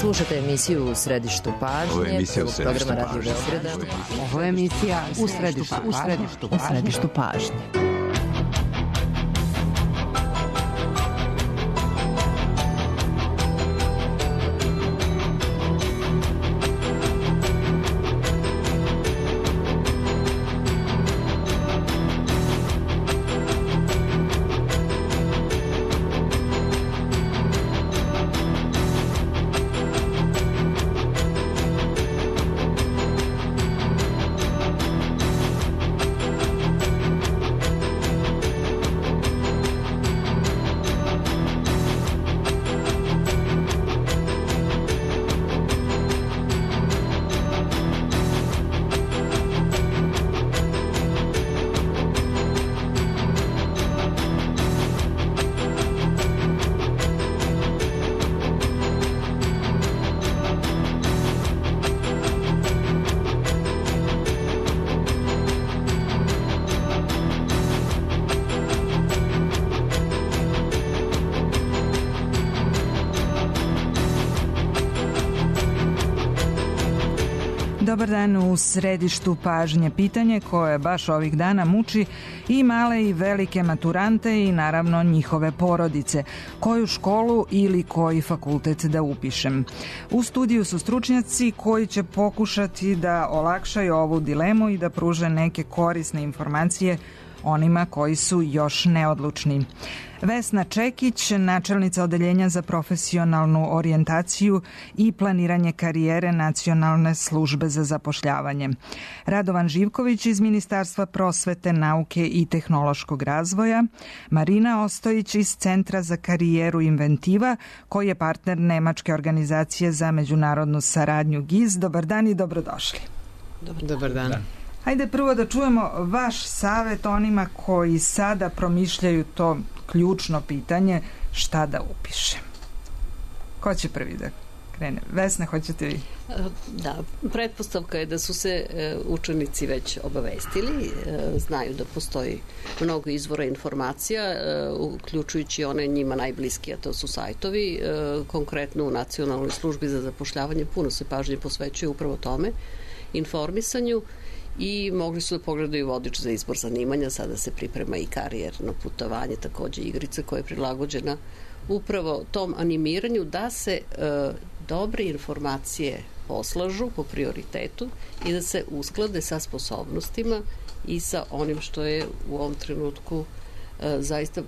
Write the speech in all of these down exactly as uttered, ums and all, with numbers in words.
Slušate emisiju U središtu pažnje. Ovo je emisija U središtu pažnje. Ovo je emisija U središtu pažnje. U središtu pažnje. Dobar dan, u središtu pažnje pitanje koje baš ovih dana muči i male i velike maturante i naravno njihove porodice. Koju školu ili koji fakultet da upišem? U studiju su stručnjaci koji će pokušati da olakšaju ovu dilemu i da pruže neke korisne informacije onima koji su još neodlučni. Vesna Čekić, načelnica Odeljenja za profesionalnu orijentaciju i planiranje karijere Nacionalne službe za zapošljavanje. Radovan Živković iz Ministarstva prosvete, nauke i tehnološkog razvoja. Marina Ostojić iz Centra za karijeru Inventiva, koji je partner Nemačke organizacije za međunarodnu saradnju G I Z. Dobar dan i dobrodošli. Dobar, Dobar dan. dan. Hajde prvo da čujemo vaš savet onima koji sada promišljaju to ključno pitanje šta da upišem. Ko će prvi da krene? Vesna, hoćete vi? Da, pretpostavka je da su se učenici već obavestili, znaju da postoji mnogo izvora informacija, uključujući one njima najbliski, a to su sajtovi. Konkretno u Nacionalnoj službi za zapošljavanje puno se pažnje posvećuje upravo tome, informisanju, i mogli su da pogledaju vodič za izbor zanimanja. Sada se priprema i karijerno putovanje, takođe igrica koja je prilagođena upravo tom animiranju da se e, dobre informacije poslažu po prioritetu i da se usklade sa sposobnostima i sa onim što je u ovom trenutku e, zaista e,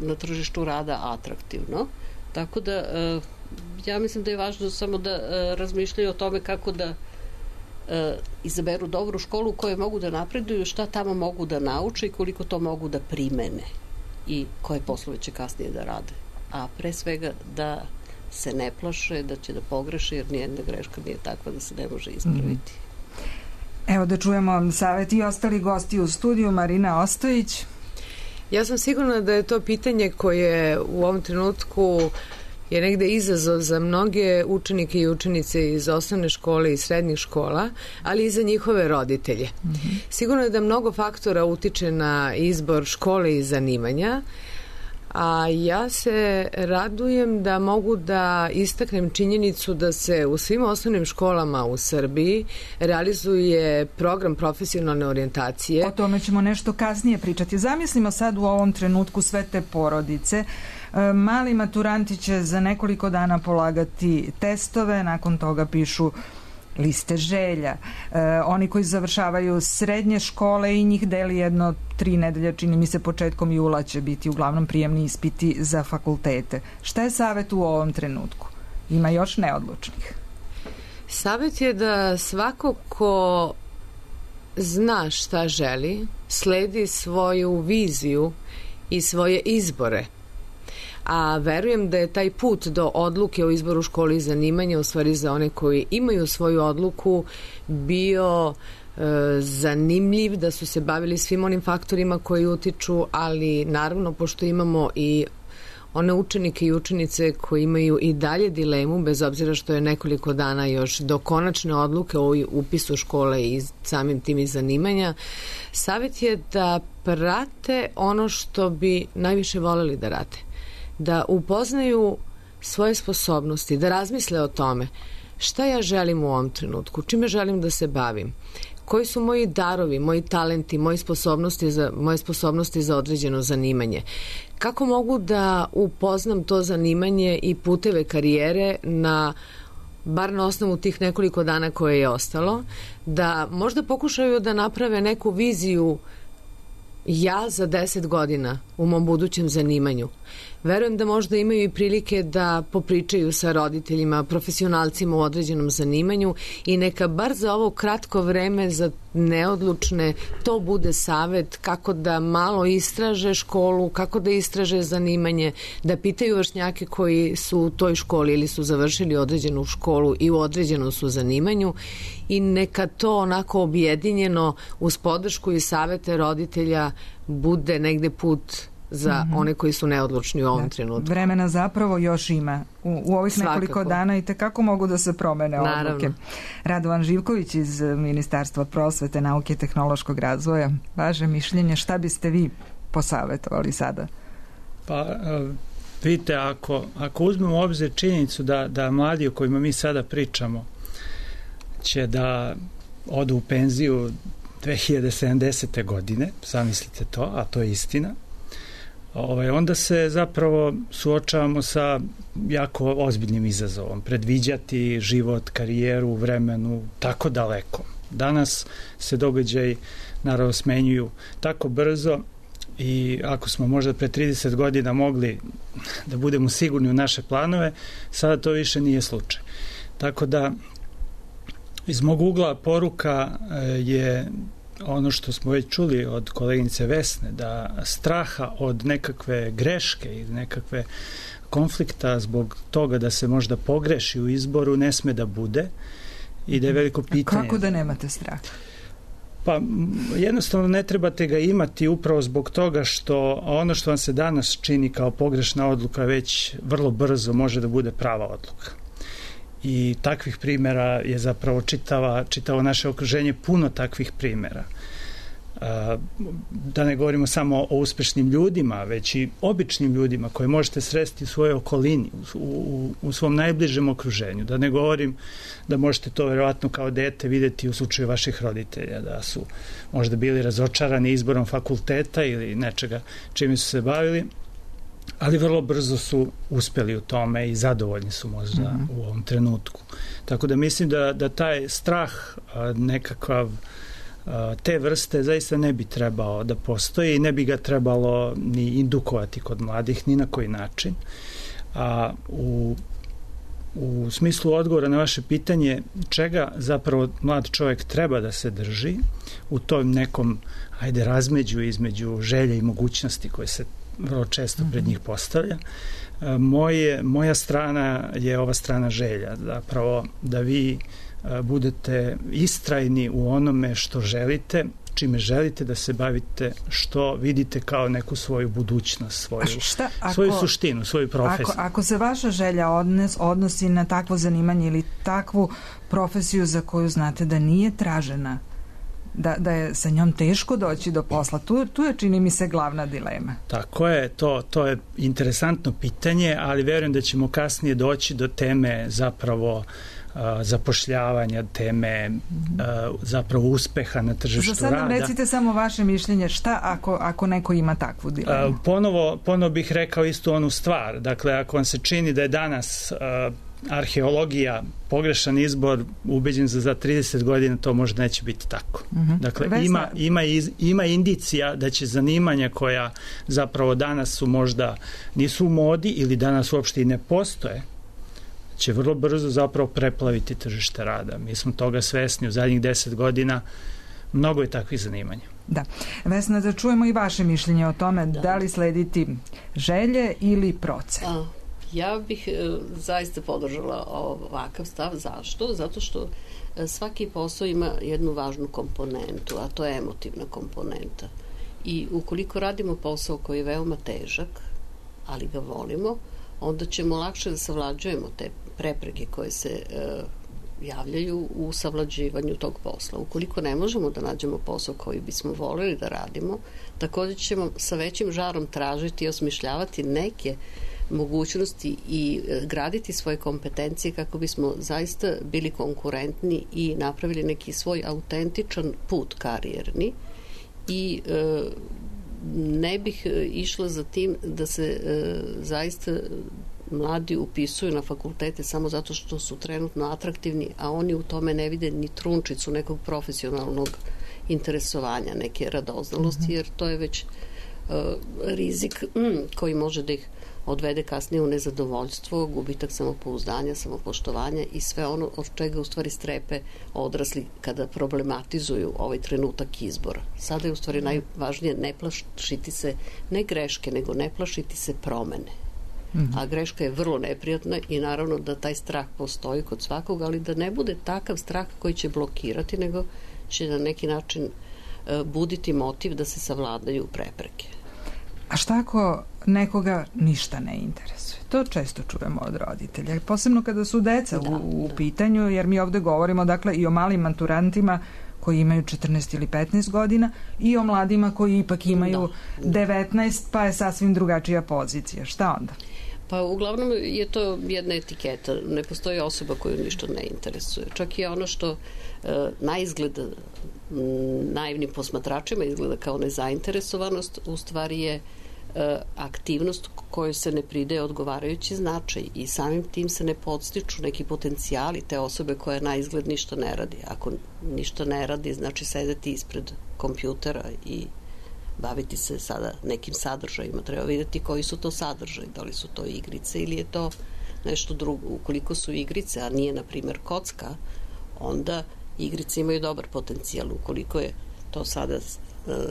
na tržištu rada atraktivno. Tako da e, ja mislim da je važno samo da e, razmišljaju o tome kako da E, izaberu dobru školu u kojoj mogu da napreduju, šta tamo mogu da nauče i koliko to mogu da primene i koje poslove će kasnije da rade. A pre svega da se ne plaše, da će da pogreše, jer nijedna greška nije takva da se ne može ispraviti. Mm. Evo da čujemo savet i ostali gosti u studiju. Marina Ostojić. Ja sam sigurna da je to pitanje koje u ovom trenutku je negde izazov za mnoge učenike i učenice iz osnovne škole i srednjih škola, ali i za njihove roditelje. Mm-hmm. Sigurno je da mnogo faktora utiče na izbor škole i zanimanja, a ja se radujem da mogu da istaknem činjenicu da se u svim osnovnim školama u Srbiji realizuje program profesionalne orijentacije. O tome ćemo nešto kasnije pričati. Zamislimo sad u ovom trenutku sve te porodice. Mali maturanti će za nekoliko dana polagati testove, nakon toga pišu liste želja. E, oni koji završavaju srednje škole i njih deli jedno tri nedelje, čini mi se početkom jula će biti uglavnom prijemni ispiti za fakultete. Šta je savet u ovom trenutku? Ima još neodlučnih. Savet je da svako ko zna šta želi, sledi svoju viziju i svoje izbore. A verujem da je taj put do odluke o izboru škole i zanimanja, u stvari za one koji imaju svoju odluku, bio e, zanimljiv, da su se bavili svim onim faktorima koji utiču, ali naravno pošto imamo i one učenike i učenice koji imaju i dalje dilemu, bez obzira što je nekoliko dana još do konačne odluke o upisu škole i samim tim i zanimanja, savjet je da prate ono što bi najviše voleli da rade. Da upoznaju svoje sposobnosti, da razmisle o tome šta ja želim u ovom trenutku, čime želim da se bavim, koji su moji darovi, moji talenti, moje sposobnosti za, moje sposobnosti za određeno zanimanje. Kako mogu da upoznam to zanimanje i puteve karijere na bar na osnovu tih nekoliko dana koje je ostalo, da možda pokušaju da naprave neku viziju ja za deset godina u mom budućem zanimanju. Verujem da možda imaju i prilike da popričaju sa roditeljima, profesionalcima u određenom zanimanju i neka bar za ovo kratko vreme za neodlučne to bude savet kako da malo istraže školu, kako da istraže zanimanje, da pitaju vršnjake koji su u toj školi ili su završili određenu školu i u određenom su zanimanju i neka to onako objedinjeno uz podršku i savete roditelja bude negde put za mm-hmm. one koji su neodlučni u ovom da, trenutku. Vremena zapravo još ima. U, u ovih Svakako. nekoliko dana i tekako mogu da se promene Naravno. odluke. Radovan Živković iz Ministarstva prosvete, nauke i tehnološkog razvoja. Vaše mišljenje, šta biste vi posavetovali sada? Pa, vidite, ako, ako uzmemo u obzir činjenicu da, da mladi o kojima mi sada pričamo će da odu u penziju dve hiljade sedamdesete. godine, zamislite to, a to je istina, Ovaj, onda se zapravo suočavamo sa jako ozbiljnim izazovom. Predviđati život, karijeru, vremenu tako daleko. Danas se događaji naravno smenjuju tako brzo i ako smo možda pre trideset godina mogli da budemo sigurni u naše planove, sada to više nije slučaj. Tako da iz mog ugla poruka je ono što smo već čuli od koleginice Vesne, da straha od nekakve greške ili nekakve konflikta zbog toga da se možda pogreši u izboru ne sme da bude i da je veliko pitanje. A kako da nemate strah? Pa jednostavno ne trebate ga imati upravo zbog toga što ono što vam se danas čini kao pogrešna odluka već vrlo brzo može da bude prava odluka. I takvih primjera je zapravo čitava, čitavo naše okruženje puno takvih primjera. Da ne govorimo samo o uspešnim ljudima, već i običnim ljudima koje možete sresti u svojoj okolini, u, u, u svom najbližem okruženju. Da ne govorim da možete to verovatno kao dete videti u slučaju vaših roditelja, da su možda bili razočarani izborom fakulteta ili nečega čime su se bavili, ali vrlo brzo su uspeli u tome i zadovoljni su možda mm-hmm. u ovom trenutku. Tako da mislim da, da taj strah nekakav te vrste zaista ne bi trebao da postoji i ne bi ga trebalo ni indukovati kod mladih ni na koji način. A u, u smislu odgovora na vaše pitanje čega zapravo mlad čovjek treba da se drži u tom nekom ajde razmeđu između želje i mogućnosti koje se vrlo često pred njih postavlja. Moje, moja strana je ova strana želja, zapravo da vi budete istrajni u onome što želite, čime želite da se bavite, što vidite kao neku svoju budućnost, svoju, šta, ako, svoju suštinu, svoju profesiju. Ako, ako se vaša želja odnos, odnosi na takvo zanimanje ili takvu profesiju za koju znate da nije tražena, Da, da je sa njom teško doći do posla. Tu, tu je, čini mi se, glavna dilema. Tako je, to, to je interesantno pitanje, ali verujem da ćemo kasnije doći do teme zapravo uh, zapošljavanja, teme uh, zapravo uspeha na tržištu rada. Za sad nam recite samo vaše mišljenje, šta ako, ako neko ima takvu dilemu? Uh, ponovo, ponovo bih rekao istu onu stvar. Dakle, ako vam se čini da je danas uh, arheologija pogrešan izbor, ubeđen za za trideset godina to možda neće biti tako. Mm-hmm. Dakle, Vesna... ima, ima, iz, ima indicija da će zanimanja koja zapravo danas su možda nisu u modi ili danas uopšte i ne postoje, će vrlo brzo zapravo preplaviti tržište rada. Mi smo toga svesni u zadnjih deset godina, mnogo je takvih zanimanja. Da. Vesna, da čujemo i vaše mišljenje o tome da, da li slediti želje ili procen. A. Ja bih e, zaista podržala ovakav stav. Zašto? Zato što e, svaki posao ima jednu važnu komponentu, a to je emotivna komponenta. I ukoliko radimo posao koji je veoma težak, ali ga volimo, onda ćemo lakše da savlađujemo te prepreke koje se e, javljaju u savlađivanju tog posla. Ukoliko ne možemo da nađemo posao koji bismo voleli da radimo, također ćemo sa većim žarom tražiti i osmišljavati neke mogućnosti i graditi svoje kompetencije kako bismo zaista bili konkurentni i napravili neki svoj autentičan put karijerni i e, ne bih išla za tim da se e, zaista mladi upisuju na fakultete samo zato što su trenutno atraktivni, a oni u tome ne vide ni trunčicu nekog profesionalnog interesovanja, neke radoznalosti, jer to je već uh, rizik mm, koji može da ih odvede kasnije u nezadovoljstvo, gubitak samopouzdanja, samopoštovanja i sve ono od čega u stvari strepe odrasli kada problematizuju ovaj trenutak izbora. Sada je u stvari najvažnije ne plašiti se ne greške, nego ne plašiti se promene. Mm-hmm. A greška je vrlo neprijatna i naravno da taj strah postoji kod svakog, ali da ne bude takav strah koji će blokirati, nego će na neki način uh, buditi motiv da se savladaju prepreke. A šta ako nekoga ništa ne interesuje? To često čujemo od roditelja, posebno kada su deca da, u, u da. pitanju, jer mi ovde govorimo dakle i o malim maturantima koji imaju četrnaest ili petnaest godina i o mladima koji ipak imaju da. devetnaest, pa je sasvim drugačija pozicija. Šta onda? Pa uglavnom je to jedna etiketa. Ne postoji osoba koju ništa ne interesuje. Čak i ono što e, na izgled m, naivnim posmatračima izgleda kao nezainteresovanost, u stvari je e, aktivnost kojoj se ne pridaje odgovarajući značaj i samim tim se ne podstiču neki potencijali te osobe koja na izgled ništa ne radi. Ako ništa ne radi, znači sedeti ispred kompjutera i baviti se sada nekim sadržajima. Treba vidjeti koji su to sadržaji, da li su to igrice ili je to nešto drugo. Ukoliko su igrice, a nije, na primjer, kocka, onda igrice imaju dobar potencijal. Ukoliko je to sada e,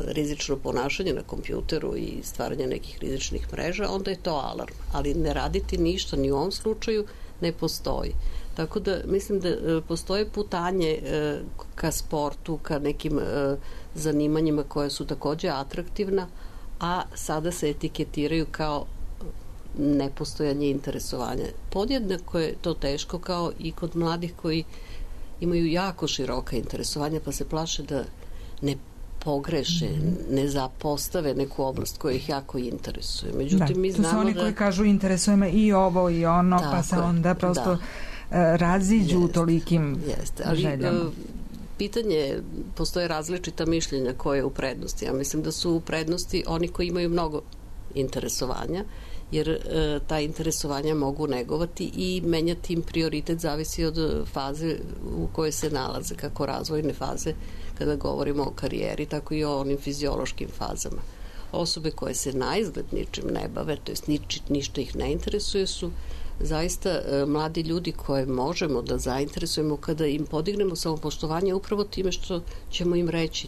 rizično ponašanje na kompjuteru i stvaranje nekih rizičnih mreža, onda je to alarm. Ali ne raditi ništa ni u ovom slučaju ne postoji. Tako da mislim da e, postoje putanje e, ka sportu, ka nekim e, zanimanjima koje su takođe atraktivna, a sada se etiketiraju kao nepostojanje interesovanja. Podjednako je to teško kao i kod mladih koji imaju jako široka interesovanja, pa se plaše da ne pogreše, ne zapostave neku oblast koja ih jako interesuje. Međutim, da, mi znamo da... To su oni da... koji kažu interesuje me i ovo i ono, tako, pa se onda prosto da. raziđu u tolikim jeste, ali, željama. Pitanje, postoje različita mišljenja koje je u prednosti. Ja mislim da su u prednosti oni koji imaju mnogo interesovanja, jer e, ta interesovanja mogu negovati i menjati im prioritet, zavisi od faze u kojoj se nalaze, kako razvojne faze kada govorimo o karijeri, tako i o onim fiziološkim fazama. Osobe koje se na izgled ničim ne bave, to jest nič, ništa ih ne interesuje, su zaista e, mladi ljudi koje možemo da zainteresujemo kada im podignemo samopoštovanje upravo time što ćemo im reći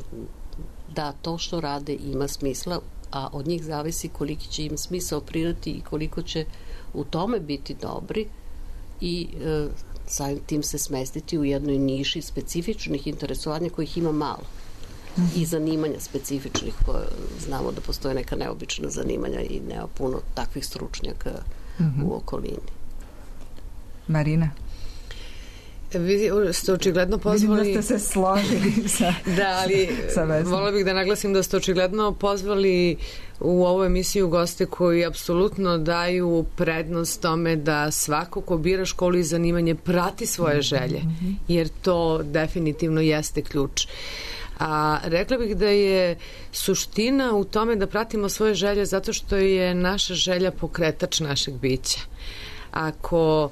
da to što rade ima smisla, a od njih zavisi koliki će im smisao pridati i koliko će u tome biti dobri i e, samim tim se smestiti u jednoj niši specifičnih interesovanja kojih ima malo i zanimanja specifičnih koje znamo da postoje neka neobična zanimanja i nema puno takvih stručnjaka mm-hmm. u okolini. Marina? Vi ste očigledno pozvali... Vidim da ste se složili sa Da, ali volila bih da naglasim da ste očigledno pozvali u ovu emisiju goste koji apsolutno daju prednost tome da svako ko bira školu i zanimanje prati svoje želje, jer to definitivno jeste ključ. A rekla bih da je suština u tome da pratimo svoje želje zato što je naša želja pokretač našeg bića. Ako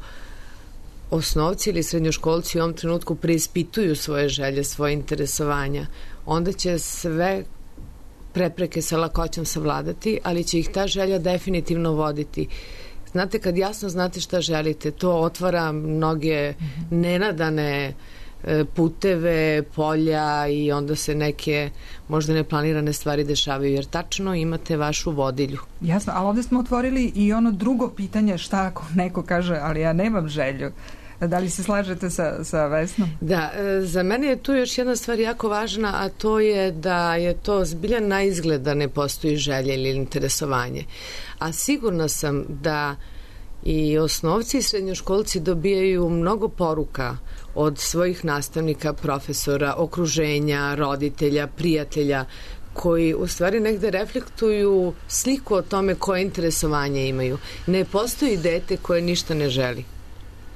osnovci ili srednjoškolci u ovom trenutku preispituju svoje želje, svoje interesovanja, onda će sve prepreke sa lakoćom savladati, ali će ih ta želja definitivno voditi. Znate, kad jasno znate šta želite, to otvara mnoge nenadane puteve, polja i onda se neke možda neplanirane stvari dešavaju, jer tačno imate vašu vodilju. Jasno, ali ovde smo otvorili i ono drugo pitanje, šta ako neko kaže, ali ja nemam želju. Da li se slažete sa, sa Vesnom? Da, za mene je tu još jedna stvar jako važna, a to je da je to zbilja na izgled da ne postoji želja ili interesovanje. A sigurna sam da i osnovci i srednjoškolci dobijaju mnogo poruka od svojih nastavnika, profesora, okruženja, roditelja, prijatelja, koji u stvari negde reflektuju sliku o tome koje interesovanje imaju. Ne postoji dete koje ništa ne želi,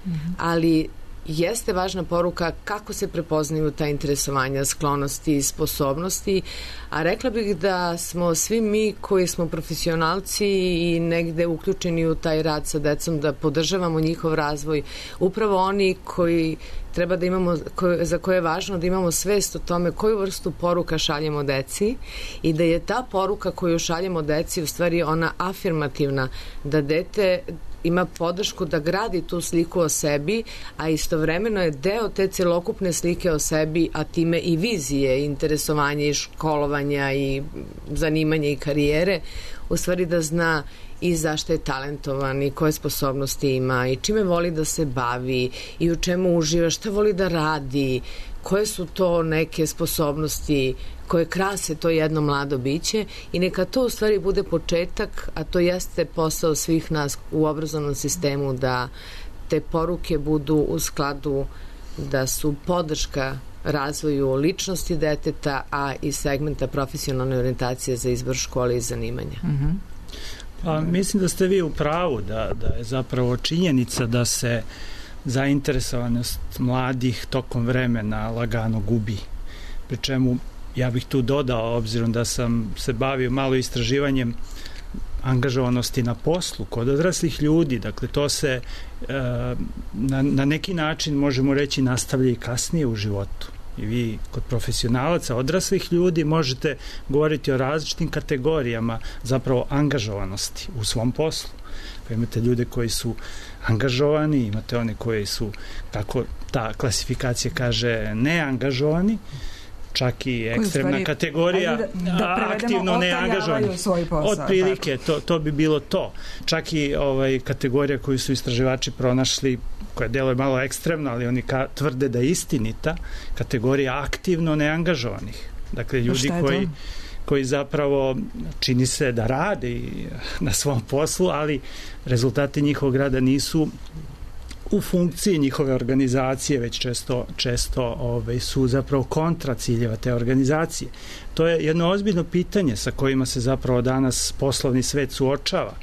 mm-hmm. ali jeste važna poruka kako se prepoznaju ta interesovanja, sklonosti i sposobnosti, a rekla bih da smo svi mi koji smo profesionalci i negde uključeni u taj rad sa decom, da podržavamo njihov razvoj, upravo oni koji treba da imamo, koje, za koje je važno da imamo svest o tome koju vrstu poruka šaljemo deci i da je ta poruka koju šaljemo deci u stvari ona afirmativna, da dete ima podršku da gradi tu sliku o sebi, a istovremeno je deo te celokupne slike o sebi, a time i vizije, interesovanja i školovanja i zanimanja i karijere, u stvari da zna i zašto je talentovan i koje sposobnosti ima i čime voli da se bavi i u čemu uživa, šta voli da radi, koje su to neke sposobnosti koje krase to jedno mlado biće i neka to u stvari bude početak, a to jeste posao svih nas u obrazovnom sistemu, da te poruke budu u skladu, da su podrška razvoju ličnosti deteta, a i segmenta profesionalne orijentacije za izbor škole i zanimanja. Mm-hmm. Pa, mislim da ste vi u pravu, da, da je zapravo činjenica da se zainteresovanost mladih tokom vremena lagano gubi. Pri čemu ja bih tu dodao, obzirom da sam se bavio malo istraživanjem angažovanosti na poslu kod odraslih ljudi, dakle to se e, na, na neki način možemo reći nastavlja i kasnije u životu. I vi kod profesionalaca, odraslih ljudi možete govoriti o različitim kategorijama zapravo angažovanosti u svom poslu. Pa imate ljude koji su angažovani, imate one koji su, kako ta klasifikacija kaže, neangažovani, čak i ekstremna stvari, kategorija da, da aktivno neangažovani. Otprilike, to, to bi bilo to. Čak i ovaj, kategorija koju su istraživači pronašli, koja deluje malo ekstremno, ali oni ka, tvrde da je istinita, kategorija aktivno neangažovanih. Dakle, ljudi koji, koji zapravo čini se da rade na svom poslu, ali rezultati njihovog rada nisu u funkciji njihove organizacije, već često, često ove, su zapravo kontra ciljeva te organizacije. To je jedno ozbiljno pitanje sa kojima se zapravo danas poslovni svet suočava.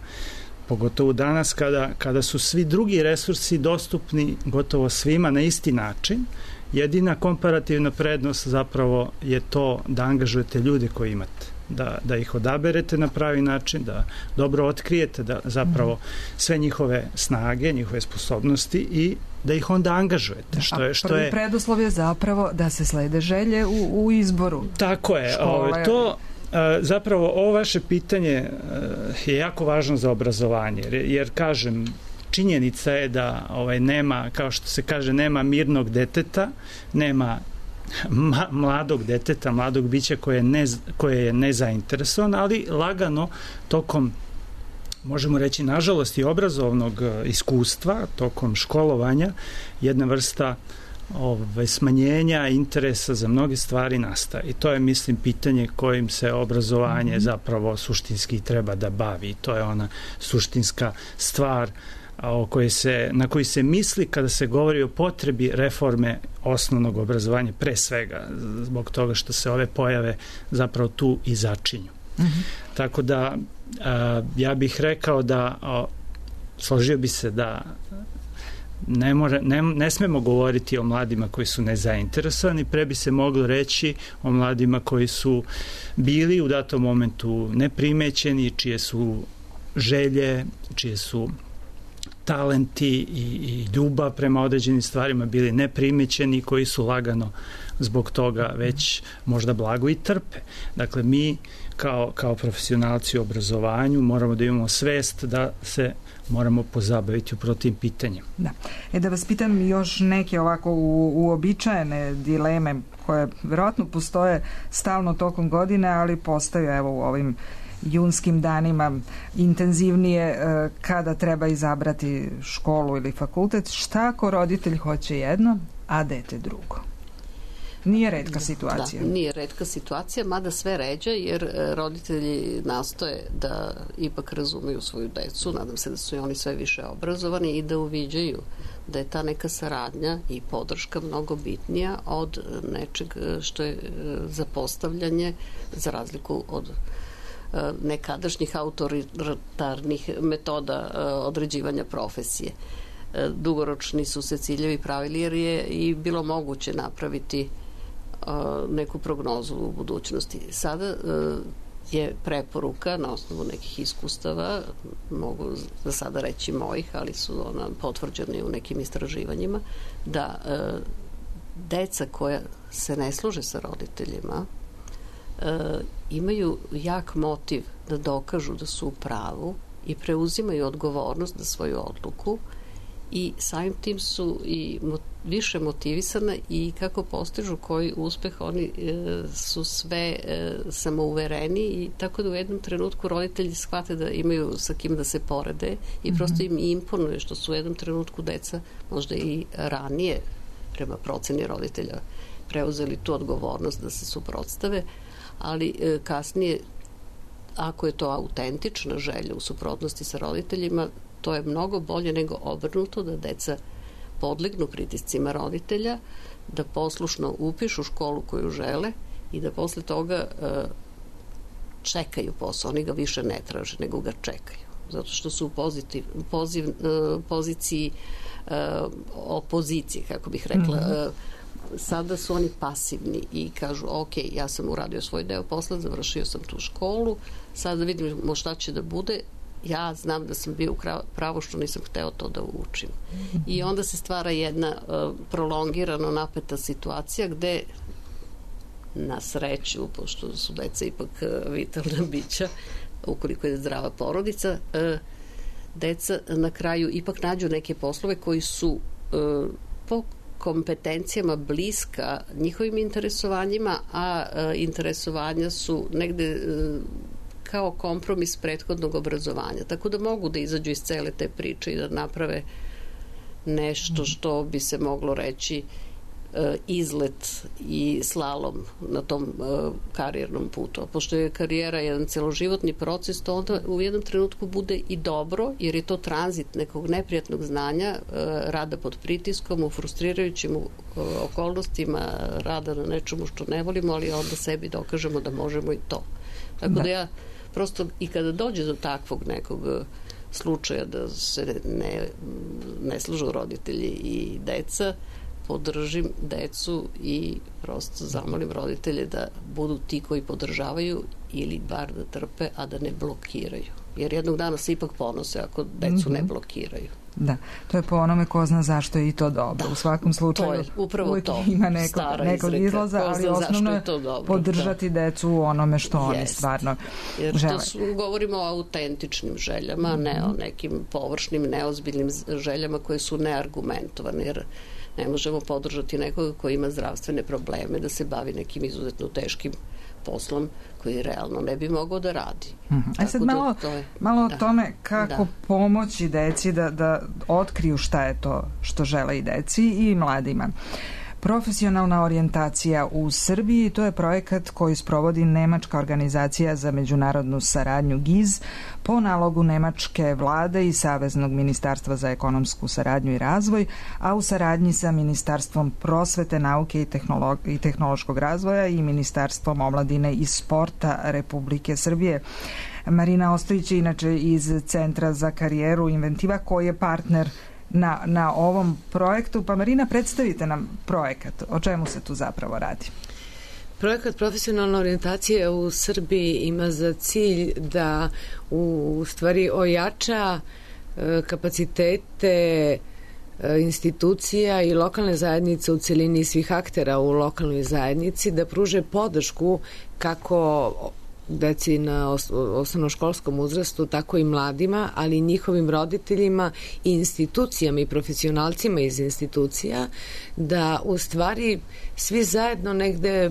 Pogotovo danas kada, kada su svi drugi resursi dostupni gotovo svima na isti način. Jedina komparativna prednost zapravo je to da angažujete ljude koje imate. Da, da ih odaberete na pravi način, da dobro otkrijete da zapravo sve njihove snage, njihove sposobnosti i da ih onda angažujete. Što je, što prvi je, preduslov je zapravo da se slede želje u, u izboru. Tako je. Ove, to zapravo ovo vaše pitanje je jako važno za obrazovanje, jer, jer kažem, činjenica je da ovaj, nema, kao što se kaže, nema mirnog deteta, nema Ma, mladog deteta, mladog bića koje je, ne, koje je nezainteresovan, ali lagano tokom, možemo reći, nažalost i obrazovnog iskustva, tokom školovanja, jedna vrsta ove, smanjenja interesa za mnoge stvari nastaje. I to je, mislim, pitanje kojim se obrazovanje mm-hmm. zapravo suštinski treba da bavi. To je ona suštinska stvar o kojoj se, na koji se misli kada se govori o potrebi reforme osnovnog obrazovanja, pre svega zbog toga što se ove pojave zapravo tu i začinju. Mm-hmm. Tako da a, ja bih rekao da a, složio bi se da ne, more, ne, ne smemo govoriti o mladima koji su nezainteresovani, pre bi se moglo reći o mladima koji su bili u datom momentu neprimećeni, čije su želje, čije su talenti i, i ljubav prema određenim stvarima bili neprimećeni, koji su lagano zbog toga već možda blago i trpe. Dakle, mi kao, kao profesionalci u obrazovanju moramo da imamo svest da se moramo pozabaviti upravo tim pitanjem. Da. E da vas pitam još neke ovako u, uobičajene dileme koje verovatno postoje stalno tokom godine, ali postaju evo u ovim junskim danima intenzivnije kada treba izabrati školu ili fakultet. Šta ako roditelj hoće jedno, a dete drugo? Nije retka situacija. Da, nije retka situacija, mada sve ređa, jer roditelji nastoje da ipak razumeju svoju decu, nadam se da su i oni sve više obrazovani i da uviđaju da je ta neka saradnja i podrška mnogo bitnija od nečeg što je zapostavljanje, za razliku od nekadašnjih autoritarnih metoda određivanja profesije. Dugoročni su se ciljevi pravili jer je i bilo moguće napraviti neku prognozu u budućnosti. Sada je preporuka na osnovu nekih iskustava, mogu za sada reći mojih, ali su ona potvrđene u nekim istraživanjima, da deca koja se ne služe sa roditeljima imaju jak motiv da dokažu da su u pravu i preuzimaju odgovornost za svoju odluku i samim tim su i više motivisane i kako postižu koji uspeh, oni e, su sve e, samouvereni i tako da u jednom trenutku roditelji shvate da imaju sa kim da se porede i prosto im imponuje što su u jednom trenutku deca možda i ranije prema proceni roditelja preuzeli tu odgovornost da se suprotstave, ali e, kasnije ako je to autentična želja u suprotnosti sa roditeljima, to je mnogo bolje nego obrnuto, da deca podlegnu pritiscima roditelja, da poslušno upišu školu koju žele i da posle toga e, čekaju posao. Oni ga više ne traže, nego ga čekaju. Zato što su u pozitiv, poziv, e, poziciji e, opozicije, kako bih rekla. E, sada su oni pasivni i kažu, ok, ja sam uradio svoj deo posla, završio sam tu školu, sada vidimo šta će da bude, ja znam da sam bio u pravu što nisam hteo to da učim. I onda se stvara jedna uh, prolongirano napeta situacija gde na sreću, pošto su deca ipak uh, vitalna bića, ukoliko je zdrava porodica, uh, deca na kraju ipak nađu neke poslove koji su uh, po kompetencijama bliska njihovim interesovanjima, a uh, interesovanja su negde uh, kao kompromis prethodnog obrazovanja. Tako da mogu da izađu iz cele te priče i da naprave nešto što bi se moglo reći izlet i slalom na tom karijernom putu. A pošto je karijera jedan celoživotni proces, to onda u jednom trenutku bude i dobro, jer je to tranzit nekog neprijatnog znanja, rada pod pritiskom, u frustrirajućim okolnostima, rada na nečemu što ne volimo, ali onda sebi dokažemo da možemo i to. Tako da, da ja prosto i kada dođe do takvog nekog slučaja da se ne, ne služu roditelji i deca, podržim decu i prosto zamolim roditelje da budu ti koji podržavaju ili bar da trpe, a da ne blokiraju. Jer jednog dana se ipak ponose ako decu mm-hmm. ne blokiraju. Da, to je po onome ko zna zašto je i to dobro. Da, u svakom slučaju to je, upravo uvijek to, ima nekog, nekog izlaza, ali osnovno je to podržati da. decu u onome što Jest. oni stvarno Jer žele. To su, govorimo o autentičnim željama, mm-hmm. ne o nekim površnim, neozbiljnim željama koje su neargumentovane, jer ne možemo podržati nekoga koji ima zdravstvene probleme da se bavi nekim izuzetno teškim poslom koji realno ne bi mogao da radi. Mm-hmm. A sad malo, da je, malo da, o tome kako da. pomoći deci da, da otkriju šta je to što žele i deci i mladima. Profesionalna orijentacija u Srbiji, to je projekat koji sprovodi Nemačka organizacija za međunarodnu saradnju G I Z po nalogu Nemačke vlade i Saveznog ministarstva za ekonomsku saradnju i razvoj, a u saradnji sa Ministarstvom prosvete, nauke i, tehnolog i tehnološkog razvoja i Ministarstvom omladine i sporta Republike Srbije. Marina Ostojić je inače iz Centra za karijeru Inventiva koji je partner Na, na ovom projektu. Pa Marina, predstavite nam projekat. O čemu se tu zapravo radi? Projekat profesionalna orijentacija u Srbiji ima za cilj da u stvari ojača e, kapacitete e, institucija i lokalne zajednice u celini svih aktera u lokalnoj zajednici, da pruže podršku kako deci na osnovnoškolskom uzrastu, tako i mladima, ali i njihovim roditeljima i institucijama i profesionalcima iz institucija, da u stvari svi zajedno negde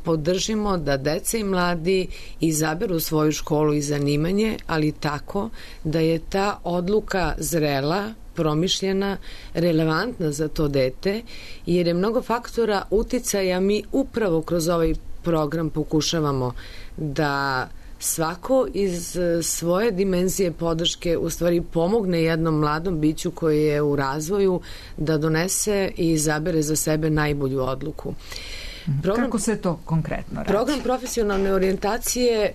podržimo da deca i mladi izaberu svoju školu i zanimanje, ali tako da je ta odluka zrela, promišljena, relevantna za to dete, jer je mnogo faktora uticaja. Mi upravo kroz ovaj program pokušavamo da svako iz svoje dimenzije podrške u stvari pomogne jednom mladom biću koji je u razvoju da donese i izabere za sebe najbolju odluku. Program, Kako se to konkretno radi? Program profesionalne orijentacije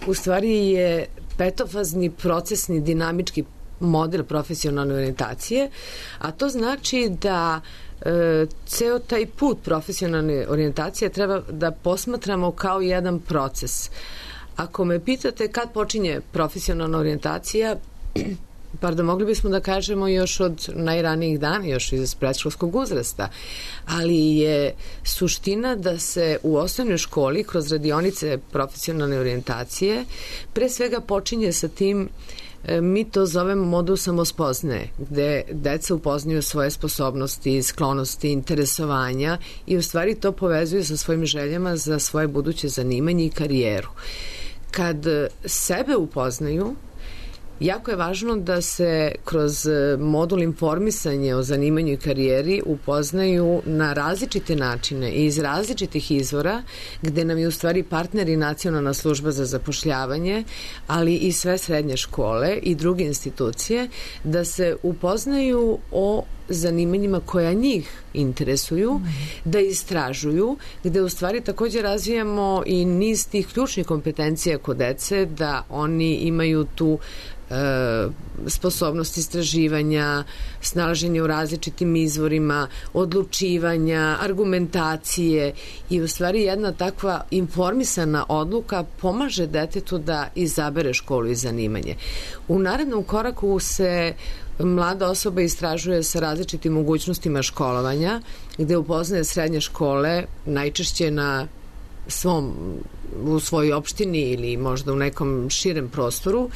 u stvari je petofazni procesni dinamički model profesionalne orijentacije, a to znači da e, ceo taj put profesionalne orijentacije treba da posmatramo kao jedan proces. Ako me pitate kad počinje profesionalna orijentacija, pardon, mogli bismo da kažemo još od najranijih dana, još iz predškolskog uzrasta, ali je suština da se u osnovnoj školi kroz radionice profesionalne orijentacije pre svega počinje sa tim, mi to zovemo modul samospoznaje, gde deca upoznaju svoje sposobnosti, sklonosti, interesovanja i u stvari to povezuju sa svojim željama za svoje buduće zanimanje i karijeru. Kad sebe upoznaju, jako je važno da se kroz modul informisanja o zanimanju i karijeri upoznaju na različite načine i iz različitih izvora, gde nam je u stvari partner i Nacionalna služba za zapošljavanje, ali i sve srednje škole i druge institucije, da se upoznaju o zanimanjima koja njih interesuju, da istražuju, gde u stvari takođe razvijamo i niz tih ključnih kompetencija kod dece, da oni imaju tu e, sposobnost istraživanja, snalaženja u različitim izvorima, odlučivanja, argumentacije i u stvari jedna takva informisana odluka pomaže detetu da izabere školu i zanimanje. U narednom koraku se mlada osoba istražuje sa različitim mogućnostima školovanja, gde upoznaje srednje škole, najčešće na svom, u svojoj opštini ili možda u nekom širem prostoru,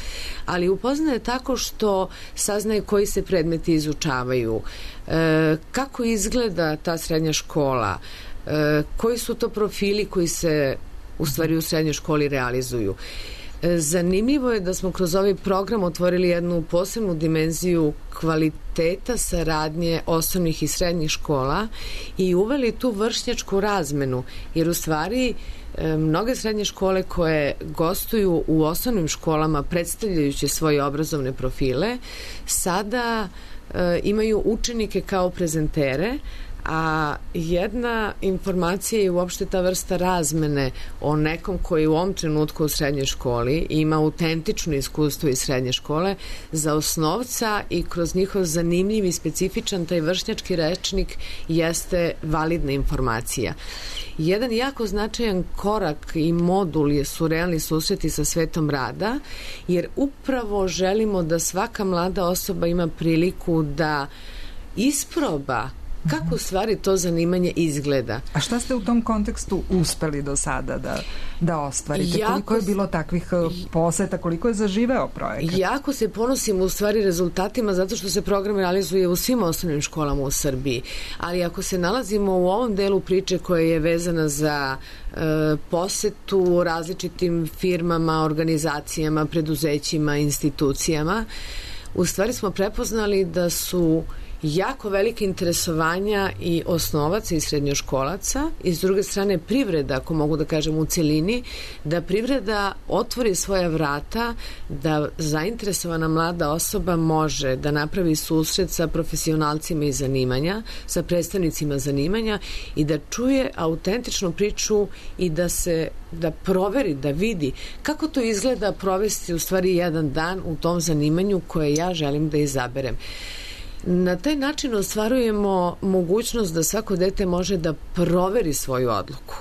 ali upoznaje tako što saznaje koji se predmeti izučavaju, e, kako izgleda ta srednja škola, e, koji su to profili koji se u stvari u srednjoj školi realizuju. Zanimljivo je da smo kroz ovaj program otvorili jednu posebnu dimenziju kvaliteta saradnje osnovnih i srednjih škola i uveli tu vršnjačku razmenu, jer u stvari mnoge srednje škole koje gostuju u osnovnim školama predstavljajući svoje obrazovne profile sada e, imaju učenike kao prezentere, a jedna informacija je uopšte ta vrsta razmene o nekom koji u ovom trenutku u srednjoj školi ima autentično iskustvo iz srednje škole za osnovca i kroz njihov zanimljiv i specifičan taj vršnjački rečnik jeste validna informacija. Jedan jako značajan korak i modul je su realni susreti sa svetom rada, jer upravo želimo da svaka mlada osoba ima priliku da isproba kako u stvari to zanimanje izgleda. A šta ste u tom kontekstu uspeli do sada da, da ostvarite? Jako, koliko je bilo takvih poseta, koliko je zaživeo projekat? Jako se ponosim u stvari rezultatima zato što se program realizuje u svim osnovnim školama u Srbiji. Ali ako se nalazimo u ovom delu priče koja je vezana za e, posetu različitim firmama, organizacijama, preduzećima, institucijama, u stvari smo prepoznali da su jako velike interesovanja i osnovaca i srednjoškolaca i s druge strane privreda, ako mogu da kažem u celini, da privreda otvori svoja vrata, da zainteresovana mlada osoba može da napravi susret sa profesionalcima iz zanimanja, sa predstavnicima zanimanja i da čuje autentičnu priču i da se da proveri, da vidi kako to izgleda provesti u stvari jedan dan u tom zanimanju koje ja želim da izaberem. Na taj način ostvarujemo mogućnost da svako dete može da proveri svoju odluku.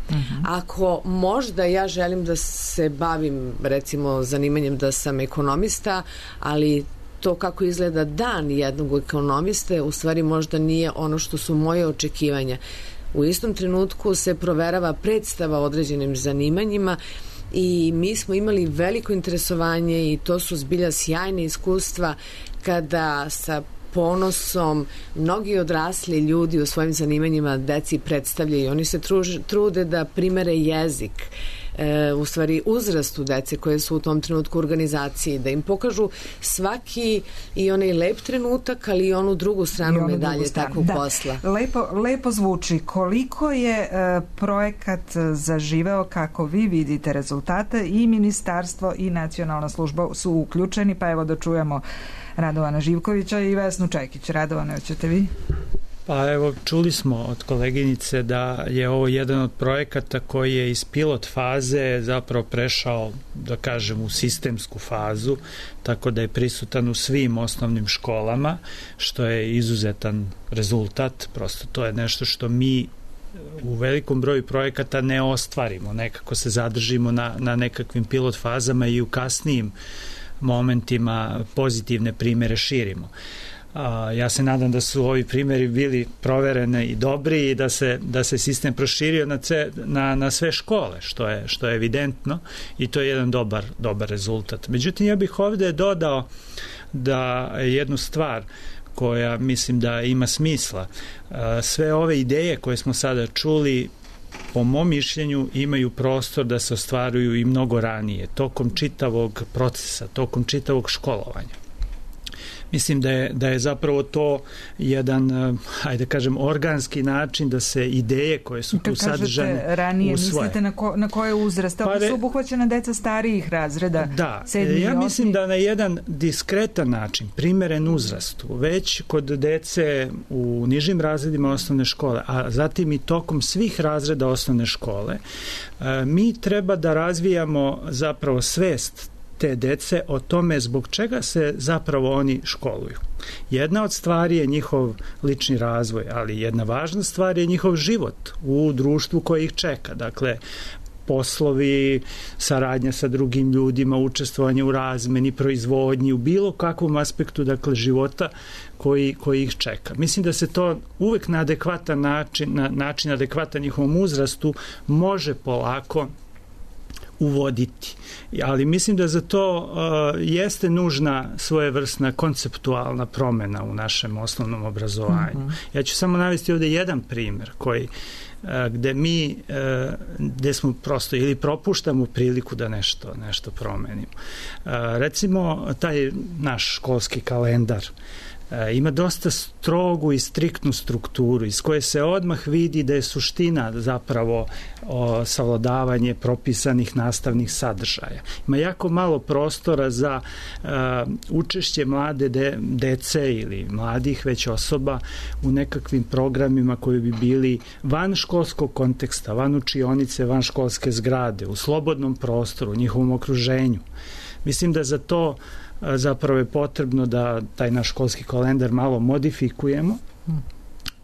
Uh-huh. Ako možda ja želim da se bavim recimo zanimanjem da sam ekonomista, ali to kako izgleda dan jednog ekonomiste u stvari možda nije ono što su moje očekivanja. U istom trenutku se proverava predstava o određenim zanimanjima i mi smo imali veliko interesovanje i to su zbilja sjajne iskustva kada sa ponosom mnogi odrasli ljudi u svojim zanimanjima deci predstavljaju. Oni se truž, trude da primere jezik, e, u stvari uzrastu dece koje su u tom trenutku u organizaciji, da im pokažu svaki i onaj lep trenutak, ali i onu drugu stranu onu medalje drugu stranu. takvog da. posla. Lepo, lepo zvuči. Koliko je e, projekat zaživeo, kako vi vidite rezultate, i ministarstvo i nacionalna služba su uključeni, pa evo da čujemo Radovana Živkovića i Vesnu Čekić. Radovane, hoćete vi? Pa evo, čuli smo od koleginice da je ovo jedan od projekata koji je iz pilot faze zapravo prešao, da kažem, u sistemsku fazu, tako da je prisutan u svim osnovnim školama, što je izuzetan rezultat. Prosto to je nešto što mi u velikom broju projekata ne ostvarimo. Nekako se zadržimo na, na nekakvim pilot fazama i u kasnijim momentima pozitivne primere širimo. A, ja se nadam da su ovi primjeri bili provereni i dobri i da se, da se sistem proširio na, ce, na, na sve škole, što je, što je evidentno, i to je jedan dobar, dobar rezultat. Međutim, ja bih ovde dodao da jednu stvar koja mislim da ima smisla. A, sve ove ideje koje smo sada čuli, po mom mišljenju, imaju prostor da se ostvaruju i mnogo ranije, tokom čitavog procesa, tokom čitavog školovanja. Mislim da je, da je zapravo to jedan, hajde kažem, organski način da se ideje koje su tu sadržane usvoje. Kad kažete ranije, mislite na, ko, na koje uzraste? Pa re... su obuhvaćena deca starijih razreda? Da, sedmi, ja mislim da na jedan diskretan način, primeren uzrastu, već kod dece u nižim razredima osnovne škole, a zatim i tokom svih razreda osnovne škole, mi treba da razvijamo zapravo svest te dece o tome zbog čega se zapravo oni školuju. Jedna od stvari je njihov lični razvoj, ali jedna važna stvar je njihov život u društvu koje ih čeka. Dakle, poslovi, saradnja sa drugim ljudima, učestvovanje u razmeni, proizvodnji, u bilo kakvom aspektu, dakle, života koji, koji ih čeka. Mislim da se to uvek na adekvatan način, na način adekvatan njihovom uzrastu može polako uvoditi. Ali mislim da za to uh, jeste nužna svojevrsna konceptualna promena u našem osnovnom obrazovanju. Mm-hmm. Ja ću samo navesti ovde jedan primjer koji uh, gde mi uh, gde smo prosto ili propuštamo priliku da nešto, nešto promenimo. Uh, recimo, taj naš školski kalendar ima dosta strogu i striktnu strukturu iz koje se odmah vidi da je suština zapravo o, savladavanje propisanih nastavnih sadržaja. Ima jako malo prostora za uh, učešće mlade de, dece ili mladih već osoba u nekakvim programima koji bi bili van školskog konteksta, van učionice, van školske zgrade, u slobodnom prostoru, u njihovom okruženju. Mislim da za to zapravo je potrebno da taj naš školski kalendar malo modifikujemo,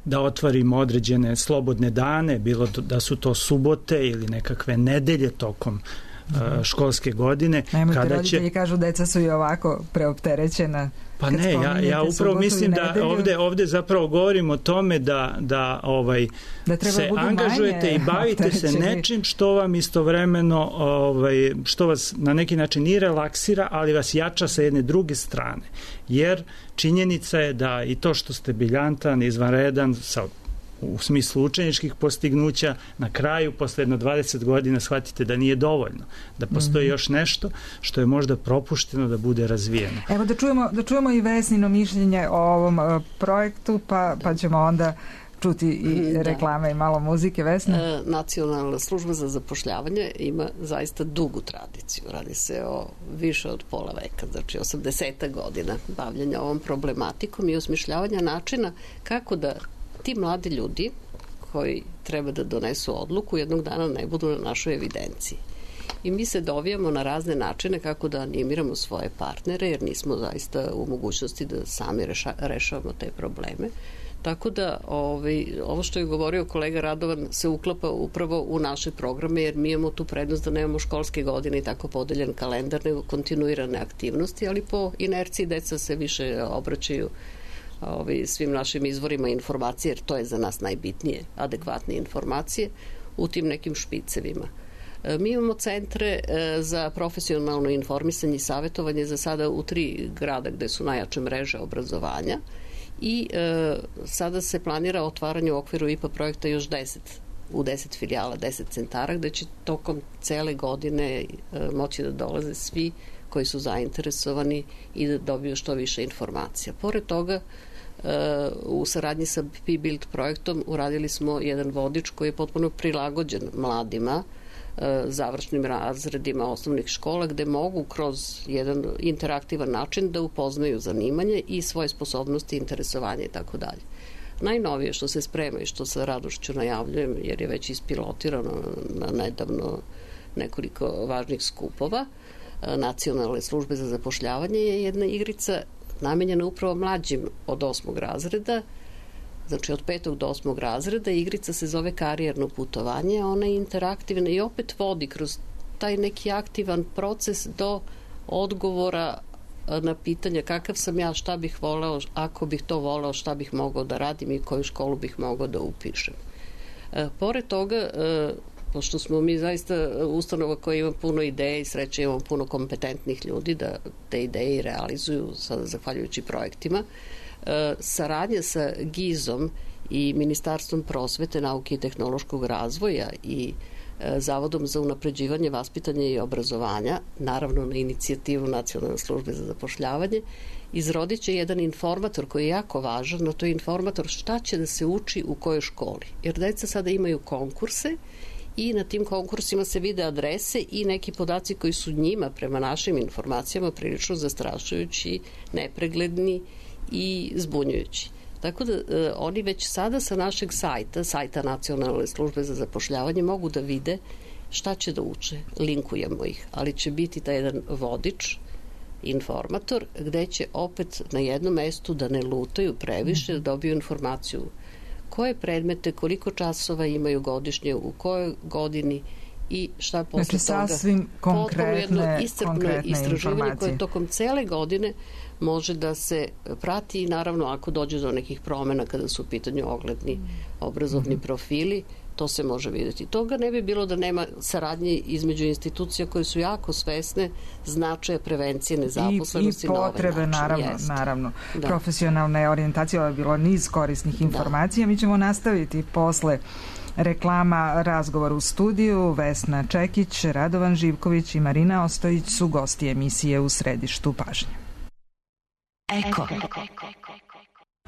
da otvorimo određene slobodne dane, bilo da su to subote ili nekakve nedelje tokom uh, školske godine. Nemojte, kada roditelji će... kažu deca su i ovako preopterećena. Pa ne, ja, ja upravo mislim da ovde, ovde zapravo govorim o tome da, da, ovaj, da se angažujete i bavite se nečim što vam istovremeno, ovaj, što vas na neki način i relaksira, ali vas jača sa jedne druge strane. Jer činjenica je da i to što ste briljantan, izvanredan, sa u smislu učeničkih postignuća, na kraju, posle jedno dvadeset godina, shvatite da nije dovoljno, da postoji mm-hmm. još nešto što je možda propušteno da bude razvijeno. Evo da čujemo, da čujemo i Vesnino mišljenje o ovom uh, projektu, pa, pa ćemo onda čuti i da. reklame i malo muzike. Vesna? E, Nacionalna služba za zapošljavanje ima zaista dugu tradiciju. Radi se o više od pola veka, znači osamdeset godina bavljanja ovom problematikom i osmišljavanja načina kako da ti mladi ljudi koji treba da donesu odluku jednog dana ne budu na našoj evidenciji. I mi se dovijamo na razne načine kako da animiramo svoje partnere, jer nismo zaista u mogućnosti da sami reša, rešavamo te probleme. Tako da ovaj, ovo što je govorio kolega Radovan se uklapa upravo u naše programe, jer mi imamo tu prednost da nemamo školske godine i tako podeljen kalendar, nego kontinuirane aktivnosti, ali po inerciji deca se više obraćaju Ovi, svim našim izvorima informacije, jer to je za nas najbitnije, adekvatne informacije u tim nekim špicevima. E, mi imamo centre e, za profesionalno informisanje i savjetovanje za sada u tri grada gde su najjače mreže obrazovanja i e, sada se planira otvaranje u okviru I P A projekta još deset u deset filijala, deset centara, gde će tokom cele godine e, moći da dolaze svi koji su zainteresovani i da dobiju što više informacija. Pored toga, u saradnji sa P-Build projektom uradili smo jedan vodič koji je potpuno prilagođen mladima, završnim razredima osnovnih škola, gde mogu kroz jedan interaktivan način da upoznaju zanimanje i svoje sposobnosti, interesovanje i tako dalje. Najnovije što se sprema i što sa radošću najavljujem, jer je već ispilotirano na nedavno nekoliko važnih skupova Nacionalne službe za zapošljavanje, je jedna igrica namenjena upravo mlađim od osmog razreda, znači od petog do osmog razreda. Igrica se zove Karijerno putovanje, ona je interaktivna i opet vodi kroz taj neki aktivan proces do odgovora na pitanje kakav sam ja, šta bih voleo, ako bih to voleo, šta bih mogao da radim i koju školu bih mogao da upišem. E, pored toga, e, pošto smo mi zaista ustanova koja ima puno ideja i sreće imamo puno kompetentnih ljudi da te ideje realizuju sada zahvaljujući projektima, e, saradnja sa GIZ-om i Ministarstvom prosvete, nauke i tehnološkog razvoja i e, Zavodom za unapređivanje vaspitanja i obrazovanja, naravno na inicijativu Nacionalne službe za zapošljavanje, izrodit će jedan informator koji je jako važan, no to je informator šta će da se uči u kojoj školi. Jer deca sada imaju konkurse i na tim konkursima se vide adrese i neki podaci koji su njima, prema našim informacijama, prilično zastrašujući, nepregledni i zbunjujući. Tako da e, oni već sada sa našeg sajta, sajta Nacionalne službe za zapošljavanje, mogu da vide šta će da uče. Linkujemo ih, ali će biti taj jedan vodič, informator, gde će opet na jednom mestu da ne lutaju previše, da dobiju informaciju koje predmete, koliko časova imaju godišnje, u kojoj godini i šta posle znači, toga. Sasvim konkretne, jedno iscrpno konkretne istraživanje koje tokom cele godine može da se prati i naravno ako dođe do nekih promena kada su u pitanju ogledni obrazovni mm-hmm. profili, to se može vidjeti. Toga ne bi bilo da nema saradnje između institucija koje su jako svesne značaja prevencije nezaposlenosti i, i potrebe, na ovaj način. naravno, Jest. naravno. Da. Profesionalne orijentacije, ovo je bilo niz korisnih informacija. Da. Mi ćemo nastaviti posle reklama razgovor u studiju. Vesna Čekić, Radovan Živković i Marina Ostojić su gosti emisije U središtu pažnje. Eko.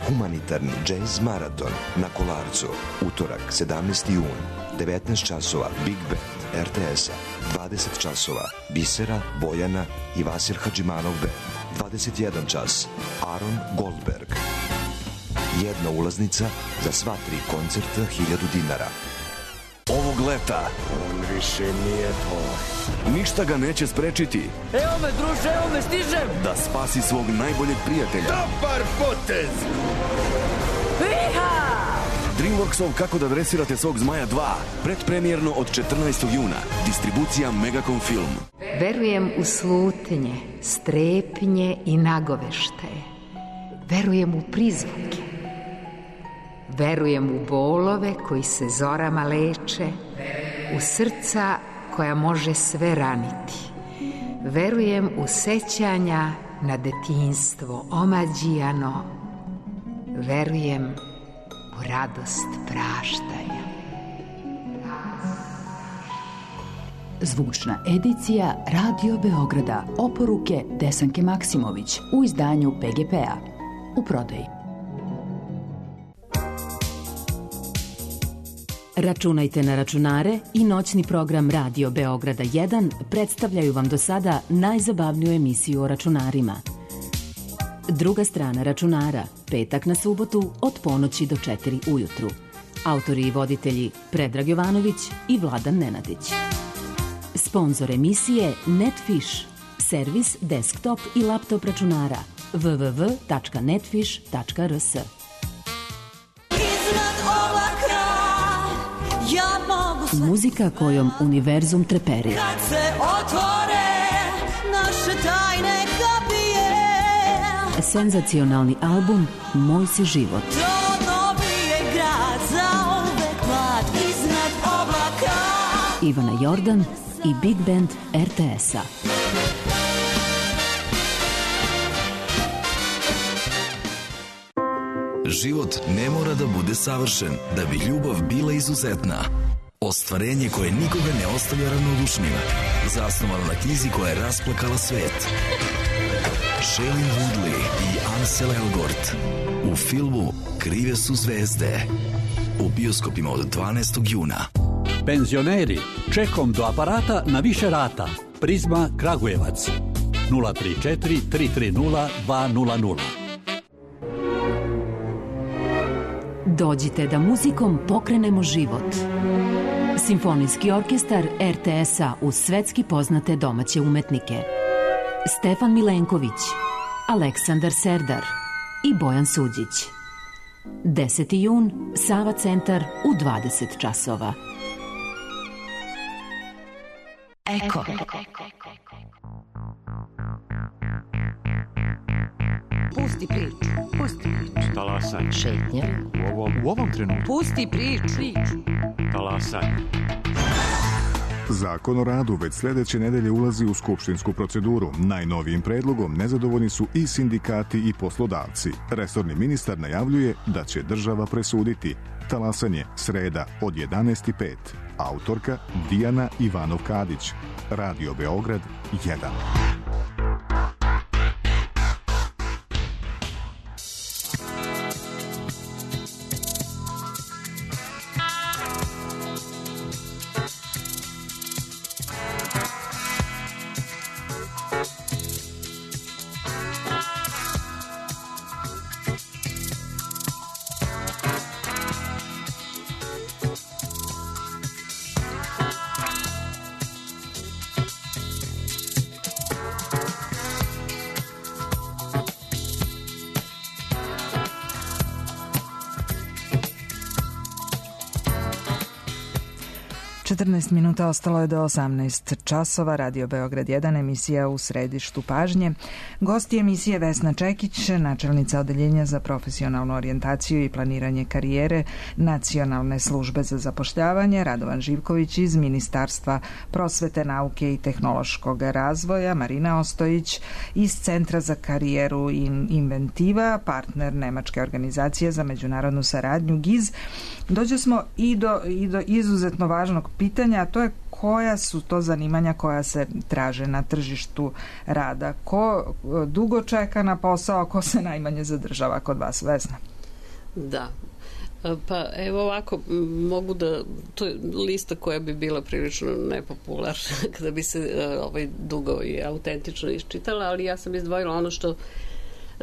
Humanitarni džez maraton na Kolarcu. Utorak, sedamnaesti jun, devetnaest časova, Big Band R T S-a, dvadeset časova, Bisera, Bojana i Vasil Hadžimanov Band, dvadeset jedan čas, Aaron Goldberg. Jedna ulaznica za sva tri koncerta, hiljadu dinara. Ovog leta on više nije tvoj. Ništa ga neće sprečiti. Evo me, druže, evo me, stižem! Da spasi svog najboljeg prijatelja. Dobar potez! Iha! Dreamworksov Kako da dresirate svog zmaja dva. Predpremijerno od četrnaestog juna. Distribucija Megacom Film. Verujem u slutnje, strepnje i nagoveštaje. Verujem u prizvuke. Verujem u bolove koji se zorama leče, u srca koja može sve raniti. Verujem u sećanja na detinjstvo omađijano. Verujem u radost praštanja. Zvučna edicija Radio Beograda. Oporuke Desanke Maksimović u izdanju P G P-a. U prodaji. Računajte na računare i noćni program Radio Beograda jedan predstavljaju vam do sada najzabavniju emisiju o računarima. Druga strana računara, petak na subotu od ponoći do četiri ujutru. Autori i voditelji Predrag Jovanović i Vladan Nenadić. Sponzor emisije Netfish, servis desktop i laptop računara w w w tačka netfish tačka r s. Muzika kojom univerzum treperi. Kad se otvore naše tajne kapije. Senzacionalni album Moj si život. To dobije grad za uvek mlad iznad oblaka. Ivana Jordan i Big Band R T S-a. Život ne mora da bude savršen da bi ljubav bila izuzetna. Ostvarenje koje nikoga ne ostavlja ravnodušnim. Zasnovano na knjizi koja je rasplakala svet. Shailene Woodley i Ansel Elgort u filmu Krive su zvezde. U bioskopima od dvanaestog juna. Penzioneri, čekom do aparata na više rata. Prizma Kragujevac. nula tri četiri tri tri nula dva nula nula. Dođite da muzikom pokrenemo život. Simfonijski orkestar er te es-a uz svetski poznate domaće umetnike. Stefan Milenković, Aleksandar Serdar i Bojan Suđić. deseti jun, Sava centar u dvadeset časova. Eko. Pusti priču. Pusti priču. Talasaj. Šetnja. U ovom, u ovom trenutku. Pusti priču. Talasaj. Zakon o radu već sledeće nedelje ulazi u skupštinsku proceduru. Najnovijim predlogom nezadovoljni su i sindikati i poslodavci. Resorni ministar najavljuje da će država presuditi. Talasanje, sreda od jedanaest i pet. Autorka Dijana Ivanov-Kadić. Radio Beograd jedan. četrnaest minuta ostalo je do osamnaest časova. Radio Beograd jedan, emisija u središtu pažnje. Gosti emisije Vesna Čekić, načelnica Odeljenja za profesionalnu orijentaciju i planiranje karijere Nacionalne službe za zapošljavanje, Radovan Živković iz Ministarstva prosvete, nauke i tehnološkog razvoja, Marina Ostojić iz Centra za karijeru Inventiva, partner Nemačke organizacije za međunarodnu saradnju G I Z. Dođe smo i do, i do izuzetno važnog pitanja, a to je koja su to zanimanja koja se traže na tržištu rada. Ko dugo čeka na posao, ko se najmanje zadržava kod vas, Vesna? Da. Pa evo ovako, mogu da, to je lista koja bi bila prilično nepopularna kada bi se ovaj dugo i autentično iščitala, ali ja sam izdvojila ono što,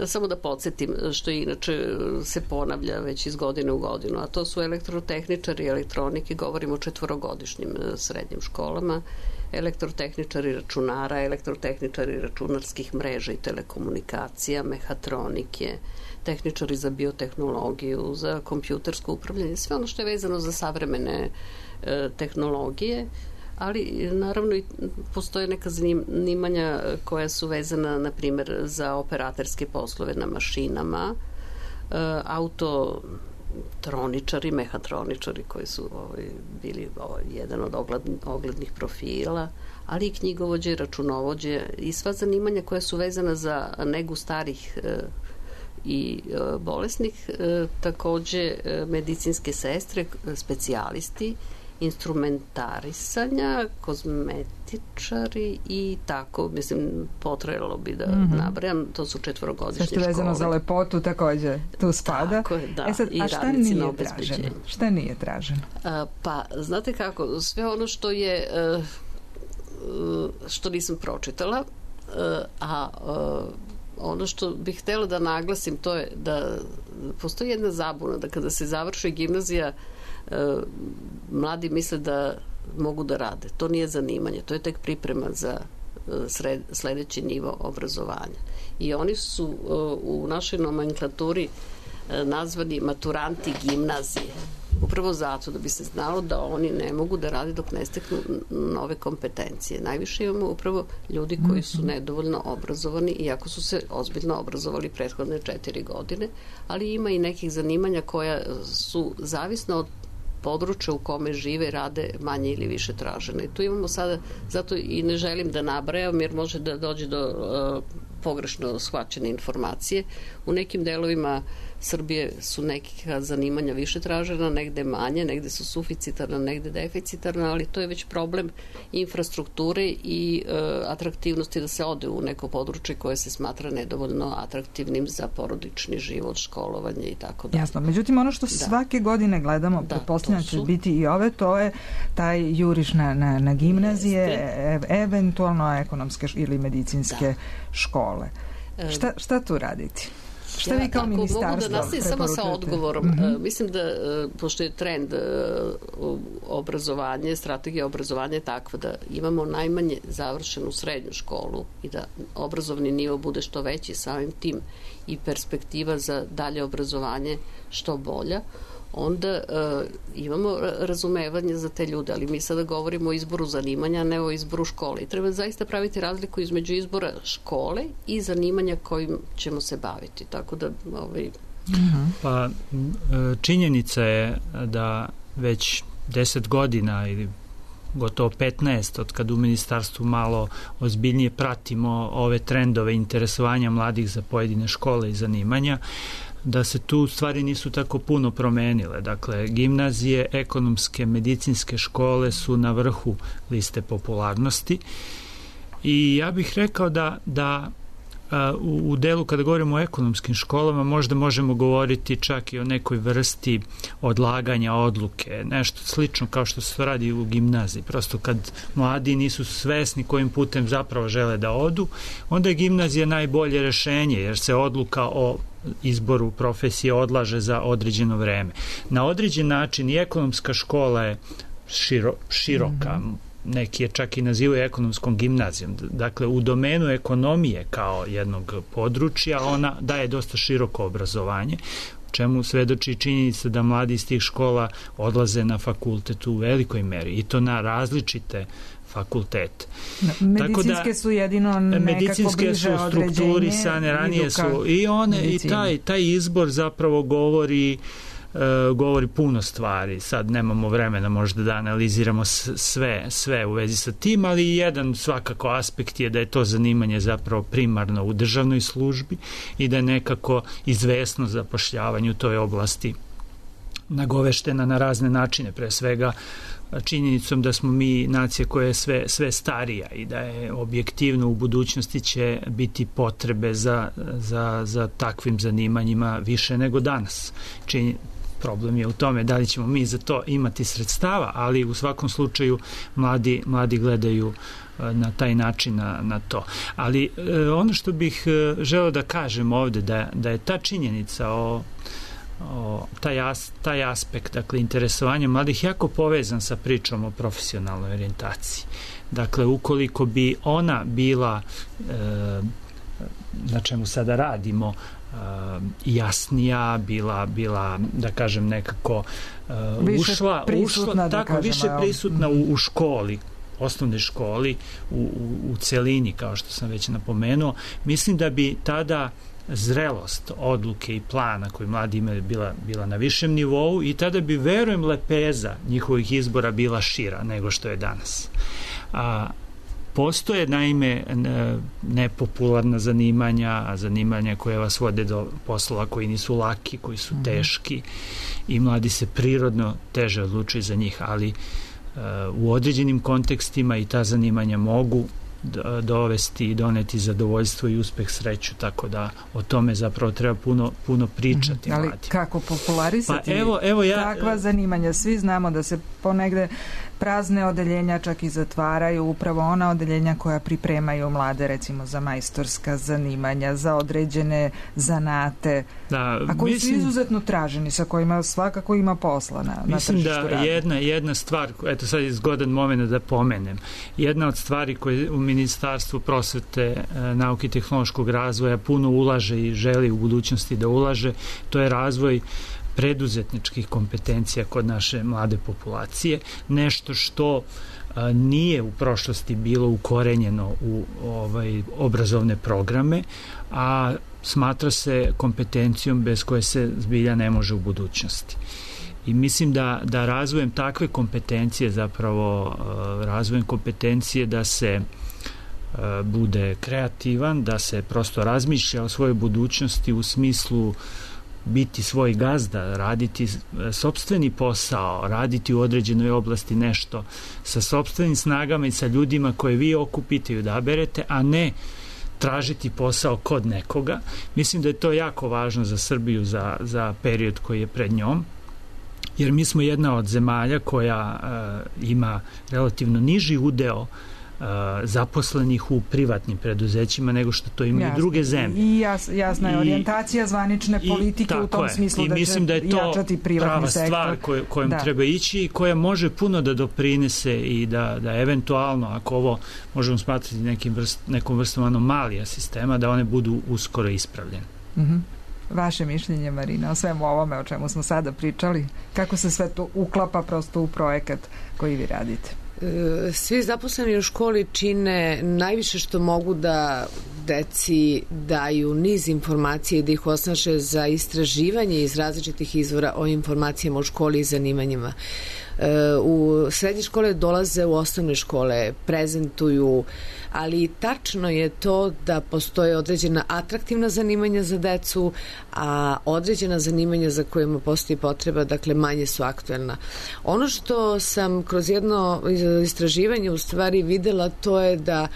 samo da podsjetim, što inače se ponavlja već iz godine u godinu, a to su elektrotehničari i elektronike, govorimo o četvorogodišnjim srednjim školama, elektrotehničari računara, elektrotehničari računarskih mreža i telekomunikacija, mehatronike, tehničari za biotehnologiju, za kompjutersko upravljanje, sve ono što je vezano za savremene e, tehnologije, ali naravno i postoje neka zanimanja koja su vezana, na primjer, za operaterske poslove na mašinama, e, autotroničari, mehatroničari koji su ovaj, bili ovaj, jedan od ogled, oglednih profila, ali i knjigovođe, računovođe i sva zanimanja koja su vezana za negu starih e, i e, bolesnih, e, takođe e, medicinske sestre, specijalisti, instrumentarisanja, kozmetičari i tako, mislim, potrajalo bi da mm-hmm. nabrajam, to su četvorogodišnje škole. Sve što vezano za lepotu takođe tu spada. Tako je, da. E sad, I a šta nije traženo? Šta nije traženo? A, pa, znate kako, sve ono što je uh, što nisam pročitala, uh, a uh, ono što bih htjela da naglasim, to je da postoji jedna zabuna, da kada se završi gimnazija, mladi misle da mogu da rade. To nije zanimanje, to je tek priprema za sred, sledeći nivo obrazovanja. I oni su u našoj nomenklaturi nazvani maturanti gimnazije. Upravo zato da bi se znalo da oni ne mogu da rade dok ne steknu nove kompetencije. Najviše imamo upravo ljudi koji su nedovoljno obrazovani, iako su se ozbiljno obrazovali prethodne četiri godine, ali ima i nekih zanimanja koja su zavisno od područja u kome žive i rade manje ili više tražene. I tu imamo sada, zato i ne želim da nabrajam, jer može da dođe do uh, pogrešno shvaćene informacije. U nekim delovima Srbije su nekih zanimanja više tražena, negde manje, negde su suficitarna, negde deficitarna, ali to je već problem infrastrukture i e, atraktivnosti da se ode u neko područje koje se smatra nedovoljno atraktivnim za porodični život, školovanje i tako dalje. Jasno, međutim ono što da. svake godine gledamo, da, pretpostavljam će biti i ove, to je taj juriš na, na, na gimnazije, e, eventualno ekonomske ili medicinske da. škole. Šta, šta tu raditi? Šta ja, vi kao ministarstvo mogu da nastavim samo sa odgovorom. Mm-hmm. Uh, mislim da, uh, pošto je trend uh, obrazovanje, strategija obrazovanja je takva da imamo najmanje završenu srednju školu i da obrazovni nivo bude što veći, samim tim i perspektiva za dalje obrazovanje što bolja, onda uh, imamo razumevanje za te ljude, ali mi sada govorimo o izboru zanimanja, ne o izboru škole. I treba zaista praviti razliku između izbora škole i zanimanja kojim ćemo se baviti. Tako da... Ovaj... Pa činjenica je da već deset godina ili gotovo petnaest od kad u ministarstvu malo ozbiljnije pratimo ove trendove interesovanja mladih za pojedine škole i zanimanja, da se tu stvari nisu tako puno promenile. Dakle, gimnazije, ekonomske, medicinske škole su na vrhu liste popularnosti i ja bih rekao da, da u, u delu kada govorimo o ekonomskim školama možda možemo govoriti čak i o nekoj vrsti odlaganja odluke, nešto slično kao što se to radi u gimnaziji. Prosto kad mladi nisu svesni kojim putem zapravo žele da odu, onda je gimnazija najbolje rešenje jer se odluka o izboru profesije odlaže za određeno vreme. Na određen način i ekonomska škola je širo, široka, mm-hmm. neki je čak i nazivaju ekonomskom gimnazijom. Dakle, u domenu ekonomije kao jednog područja ona daje dosta široko obrazovanje, čemu svedoči činjenica da mladi iz tih škola odlaze na fakultet u velikoj meri i to na različite fakultet. Medicinske da, su jedino nekako bliže određenje. Medicinske su strukturisane, ranije su i one medicine. I taj, taj izbor zapravo govori uh, govori puno stvari. Sad nemamo vremena možda da analiziramo sve, sve u vezi sa tim, ali jedan svakako aspekt je da je to zanimanje zapravo primarno u državnoj službi i da je nekako izvesno zapošljavanje u toj oblasti nagoveštena na razne načine, pre svega činjenicom da smo mi nacija koja je sve, sve starija i da je objektivno u budućnosti će biti potrebe za, za, za takvim zanimanjima više nego danas. Činj, problem je u tome da li ćemo mi za to imati sredstava, ali u svakom slučaju mladi, mladi gledaju na taj način na, na to. Ali ono što bih želeo da kažem ovde, da, da je ta činjenica o O, taj, as, taj aspekt, dakle, interesovanja mladih jako povezan sa pričom o profesionalnoj orijentaciji. Dakle, ukoliko bi ona bila e, na čemu sada radimo e, jasnija, bila, bila, da kažem, nekako e, više ušla, prisutna, ušla da tako, kažem, više prisutna u, u školi, osnovnoj školi, u, u, u celini, kao što sam već napomenuo, mislim da bi tada zrelost odluke i plana koji mladi imaju bila, bila na višem nivou i tada bi, verujem, lepeza njihovih izbora bila šira nego što je danas. A, postoje, naime, nepopularna zanimanja, zanimanja koje vas vode do poslova koji nisu laki, koji su teški i mladi se prirodno teže odlučuju za njih, ali u određenim kontekstima i ta zanimanja mogu dovesti i doneti zadovoljstvo i uspeh, sreću, tako da o tome zapravo treba puno, puno pričati. Ali mladi. Kako popularisati pa evo, evo ja, takva zanimanja? Svi znamo da se ponegde prazne odeljenja čak i zatvaraju, upravo ona odeljenja koja pripremaju mlade, recimo za majstorska zanimanja, za određene zanate, da, a koji mislim, su izuzetno traženi, sa kojima svakako ima posla na, na mislim tržištu da rada. jedna, jedna stvar, eto sad je zgodan moment da pomenem, jedna od stvari koje u Ministarstvu prosvete, nauke i tehnološkog razvoja puno ulaže i želi u budućnosti da ulaže, to je razvoj preduzetničkih kompetencija kod naše mlade populacije, nešto što a, nije u prošlosti bilo ukorenjeno u ovaj obrazovne programe, a smatra se kompetencijom bez koje se zbilja ne može u budućnosti. I mislim da, da razvojem takve kompetencije, zapravo a, razvojem kompetencije da se a, bude kreativan, da se prosto razmišlja o svojoj budućnosti u smislu biti svoj gazda, raditi sopstveni posao, raditi u određenoj oblasti nešto sa sopstvenim snagama i sa ljudima koje vi okupite i odaberete, a ne tražiti posao kod nekoga. Mislim da je to jako važno za Srbiju za, za period koji je pred njom, jer mi smo jedna od zemalja koja uh, ima relativno niži udeo Uh, zaposlenih u privatnim preduzećima nego što to imaju jasne. druge zemlje. I jas, jasna je orijentacija zvanične politike u tom je. smislu I da mislim će da je to jačati privatni prava sektor. stvar koj, kojom da. treba ići i koja može puno da doprinese i da, da eventualno, ako ovo možemo smatrati nekim vrst, nekom vrstom anomalija sistema, da one budu uskoro ispravljene. Mm-hmm. Vaše mišljenje, Marina, o svemu ovome o čemu smo sada pričali, kako se sve to uklapa prosto u projekat koji vi radite? Svi zaposleni u školi čine najviše što mogu da deci daju niz informacije i da ih osnaže za istraživanje iz različitih izvora o informacijama u školi i zanimanjima. U srednje škole dolaze u osnovne škole, prezentuju, ali tačno je to da postoje određena atraktivna zanimanja za decu, a određena zanimanja za kojima postoji potreba, dakle manje su aktuelna. Ono što sam kroz jedno istraživanje u stvari videla, to je da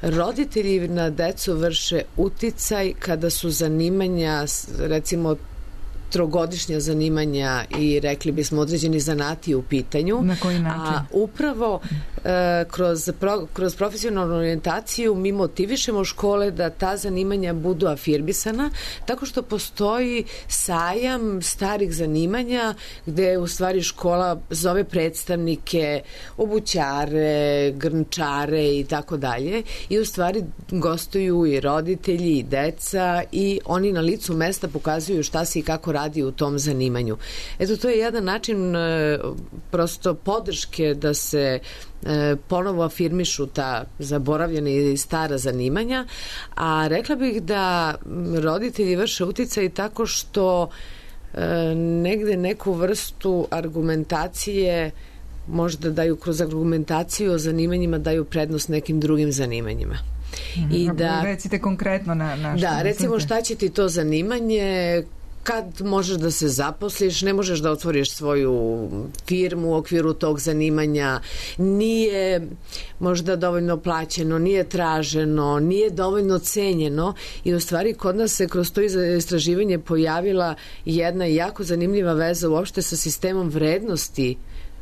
roditelji na decu vrše uticaj kada su zanimanja, recimo trogodišnja zanimanja i rekli bismo određeni zanati u pitanju. Na koji način? A upravo e, kroz, pro, kroz profesionalnu orijentaciju mi motivišemo škole da ta zanimanja budu afirmisana, tako što postoji sajam starih zanimanja gde u stvari škola zove predstavnike, obućare, grnčare i tako dalje i u stvari gostuju i roditelji i deca i oni na licu mesta pokazuju šta se i kako radi radi u tom zanimanju. Eto, to je jedan način e, prosto podrške da se e, ponovo afirmišu ta zaboravljena i stara zanimanja, a rekla bih da roditelji vrše uticaj tako što e, negde neku vrstu argumentacije možda daju kroz argumentaciju o zanimanjima, daju prednost nekim drugim zanimanjima. Mm, I da, recite konkretno na, na što da, recimo šta će ti to zanimanje, kad možeš da se zaposliš, ne možeš da otvoriš svoju firmu u okviru tog zanimanja, nije možda dovoljno plaćeno, nije traženo, nije dovoljno cenjeno i u stvari kod nas se kroz to istraživanje pojavila jedna jako zanimljiva veza uopšte sa sistemom vrednosti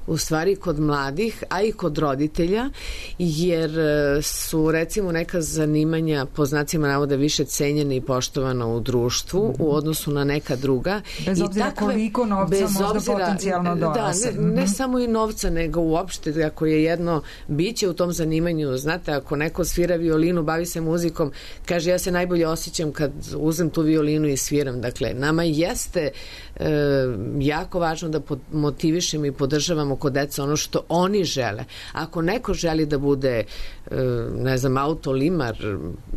u stvari kod mladih, a i kod roditelja, jer su recimo neka zanimanja po znacima navoda više cenjena i poštovana u društvu mm-hmm. u odnosu na neka druga. Bez obzira I takve, koliko novca bez možda obzira, potencijalno donose. Da, ne, ne samo i novca, nego uopšte ako je jedno biće u tom zanimanju, znate, ako neko svira violinu, bavi se muzikom, kaže ja se najbolje osjećam kad uzem tu violinu i sviram. Dakle, nama jeste e, jako važno da motivišemo i podržavamo kod deca ono što oni žele. Ako neko želi da bude ne znam, autolimar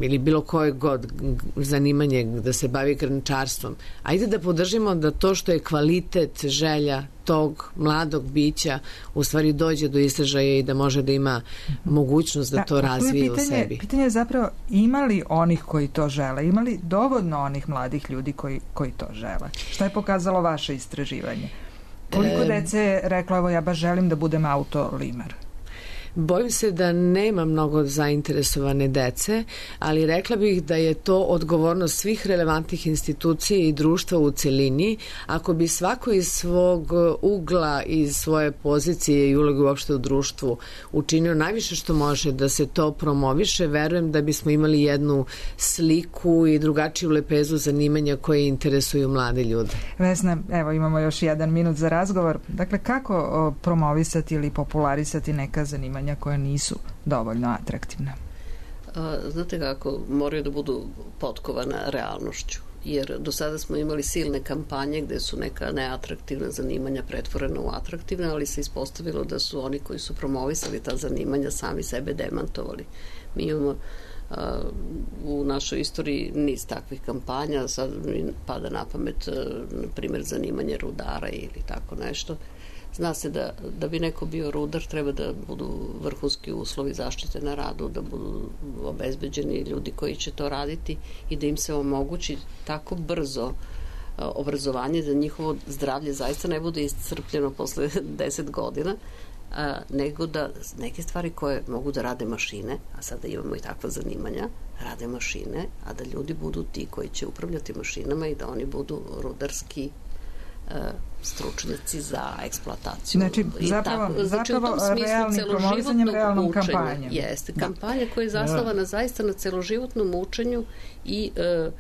ili bilo koje god zanimanje da se bavi grnčarstvom, ajde da podržimo da to što je kvalitet želja tog mladog bića u stvari dođe do izražaja i da može da ima mogućnost da, da to razvije pitanje, u sebi. Pitanje je zapravo ima li onih koji to žele, ima li dovoljno onih mladih ljudi koji, koji to žele? Šta je pokazalo vaše istraživanje? Koliko dece je rekla, evo ja baš želim da budem autolimar? Bojim se da nema mnogo zainteresovane dece, ali rekla bih da je to odgovornost svih relevantnih institucija i društva u celini. Ako bi svako iz svog ugla, iz svoje pozicije i uloge uopšte u društvu učinio najviše što može da se to promoviše, verujem da bismo imali jednu sliku i drugačiju lepezu zanimanja koje interesuju mlade ljude. Vesna, evo imamo još jedan minut za razgovor. Dakle, kako o, promovisati ili popularisati neka zanimanja koja nisu dovoljno atraktivna? A, znate kako, moraju da budu potkovana realnošću, jer do sada smo imali silne kampanje gde su neka neatraktivna zanimanja pretvorena u atraktivne, ali se ispostavilo da su oni koji su promovisali ta zanimanja sami sebe demantovali. Mi imamo a, u našoj istoriji niz takvih kampanja, sad mi pada na pamet na primjer zanimanje rudara ili tako nešto. Zna se da, da bi neko bio rudar treba da budu vrhunski uslovi zaštite na radu, da budu obezbeđeni ljudi koji će to raditi i da im se omogući tako brzo obrazovanje, da njihovo zdravlje zaista ne bude iscrpljeno posle deset godina, a, nego da neke stvari koje mogu da rade mašine, a sada imamo i takva zanimanja, rade mašine, a da ljudi budu ti koji će upravljati mašinama i da oni budu rudarski stručnjaci za eksploataciju. Znači, zapravo, tako, znači zapravo realnim promovisanjem, realnom učenja. kampanjom. Jeste, kampanja koja je zasnovana da. zaista na celoživotnom učenju i e,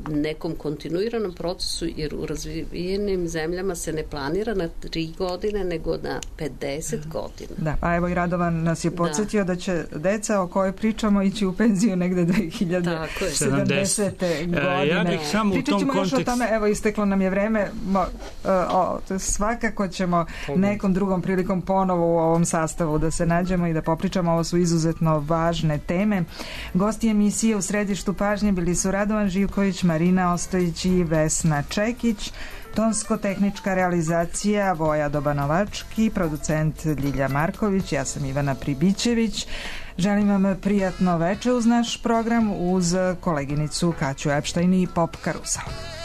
nekom kontinuiranom procesu, jer u razvijenim zemljama se ne planira na tri godine, nego na pedeset godina. Da, pa evo i Radovan nas je podsjetio da, da će deca o kojoj pričamo ići u penziju negde dve hiljade sedamdesete godine. Ja bih samo u tom Pričat ćemo kontekst... još o tome, evo isteklo nam je vreme, Mo, o, o, svakako ćemo nekom drugom prilikom ponovo u ovom sastavu da se nađemo i da popričamo, ovo su izuzetno važne teme. Gosti emisije u središtu pažnje bili su Radovan Živković, Marina Ostojić i Vesna Čekić, tonsko-tehnička realizacija Voja Dobanovački, producent Ljilja Marković, ja sam Ivana Pribićević. Želim vam prijatno veče uz naš program uz koleginicu Kaću Epštajn i Pop Karusel.